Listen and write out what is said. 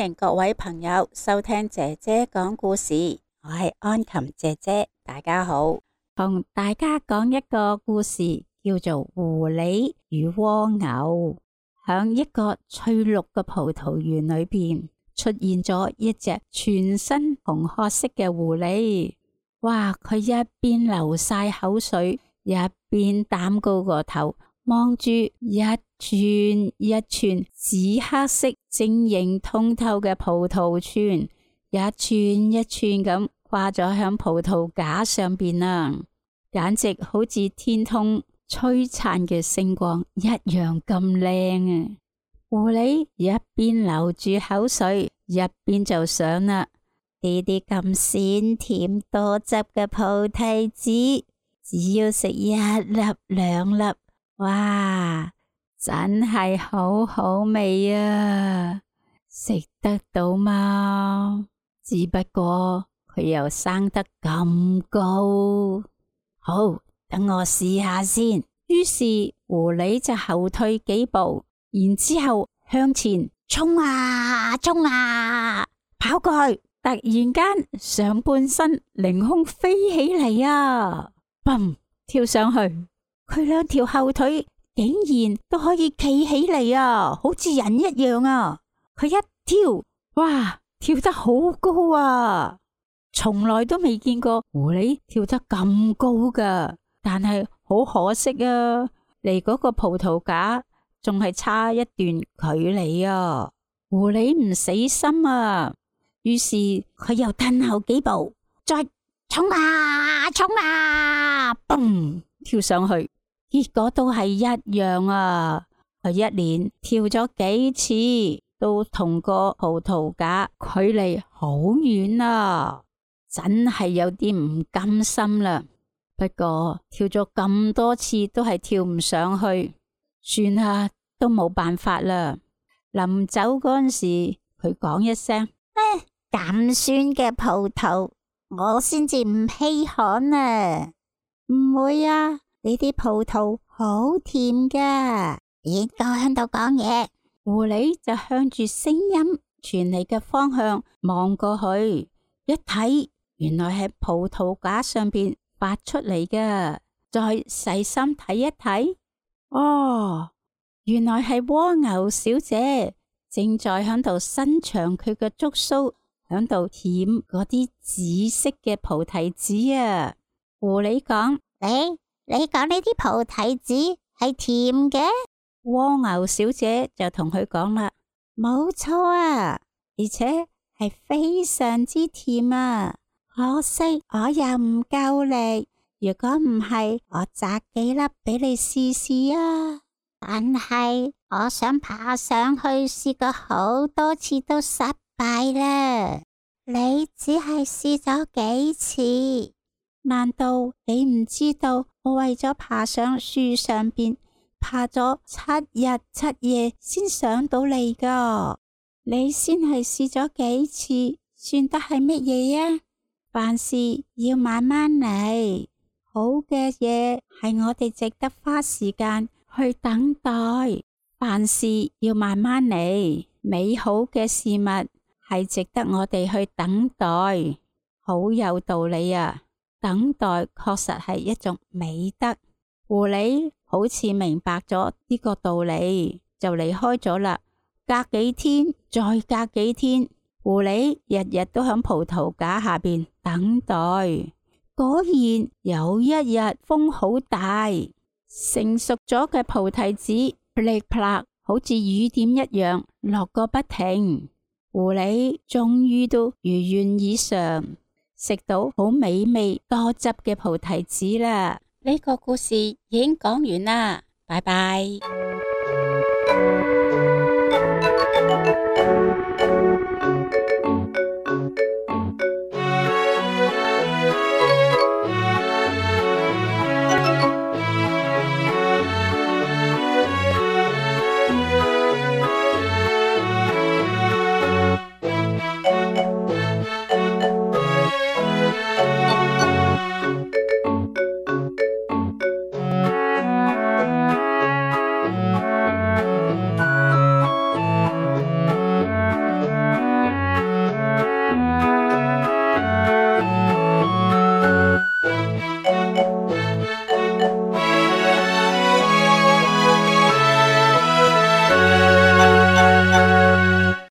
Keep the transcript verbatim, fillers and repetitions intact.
迎各位朋友收聽姐姐講故事，我係安琴姐姐，大家好，同大家講一個故事，叫做狐狸與蝸牛。響一個翠綠嘅葡萄園裏邊，出現咗一隻全身紅褐色嘅狐狸。哇！佢一邊流晒口水，一邊擔高個頭，望住一串一串紫黑色晶瑩通透嘅葡萄串，一串一串咁掛咗響葡萄架上邊啊，簡直好似天空璀璨嘅星光一樣咁靚啊！狐狸一邊流住口水，一邊就想啦，呢啲咁鮮甜多汁嘅菩提子，只要食一粒兩粒，哇，真係好好味啊！食得到嗎？只不過佢又生得咁高，好，等我試下先。於是狐狸就後退幾步，然之後向前衝啊衝啊，跑過去，突然間上半身凌空飛起嚟啊！砰，跳上去，佢兩條後腿竟然都可以企起嚟啊，好似人一樣啊！佢一跳，哇，跳得好高啊！從來都未見過狐狸跳得咁高噶，但係好可惜啊，離嗰個葡萄架仲係差一段距離啊！狐狸唔死心啊，於是佢又褪後幾步，再衝啊衝啊，嘣，跳上去，結果都係一樣啊！佢一連跳咗幾次，都同個葡萄架距離好遠啊，真係有啲唔甘心啦。不過跳咗咁多次都係跳唔上去，算啦，都冇辦法啦。臨走嗰陣時，佢講一聲：唉，咁酸嘅葡萄，我先至唔稀罕啊！唔會啊，呢啲葡萄好甜噶。邊個喺度講嘢？狐狸就向住聲音傳嚟嘅方向望過去，一睇，原來係葡萄架上邊發出嚟嘅。再細心睇一睇，哦，原來係蝸牛小姐正在響度伸長佢嘅觸鬚，響度舔嗰啲紫色嘅菩提子啊！狐狸講：你你講呢啲菩提子係甜嘅？蝸牛小姐就同佢講啦：冇錯啊，而且係非常之甜啊！可惜我又唔夠力，如果唔係，我摘幾粒俾你試試啊！但係我想爬上去試過好多次都失敗啦。你只係試咗幾次？難道你唔知道我為咗爬上樹上邊，爬咗七日七夜先上到嚟噶？你先係試咗幾次，算得係乜嘢啊？凡事要慢慢嚟，好嘅嘢係我哋值得花時間去等待。凡事要慢慢嚟，美好嘅事物係值得我哋去等待。好有道理啊！等待確實係一種美德。狐狸好似明白咗呢個道理，就離開咗啦。隔幾天，再隔幾天，狐狸日日都響葡萄架下邊等待。果然有一日風好大，成熟咗嘅菩提子噼里啪啦，好似雨點一樣落個不停。狐狸終於都如願以償，食到好美味多汁嘅菩提子啦。呢個故事已經講完啦，拜拜。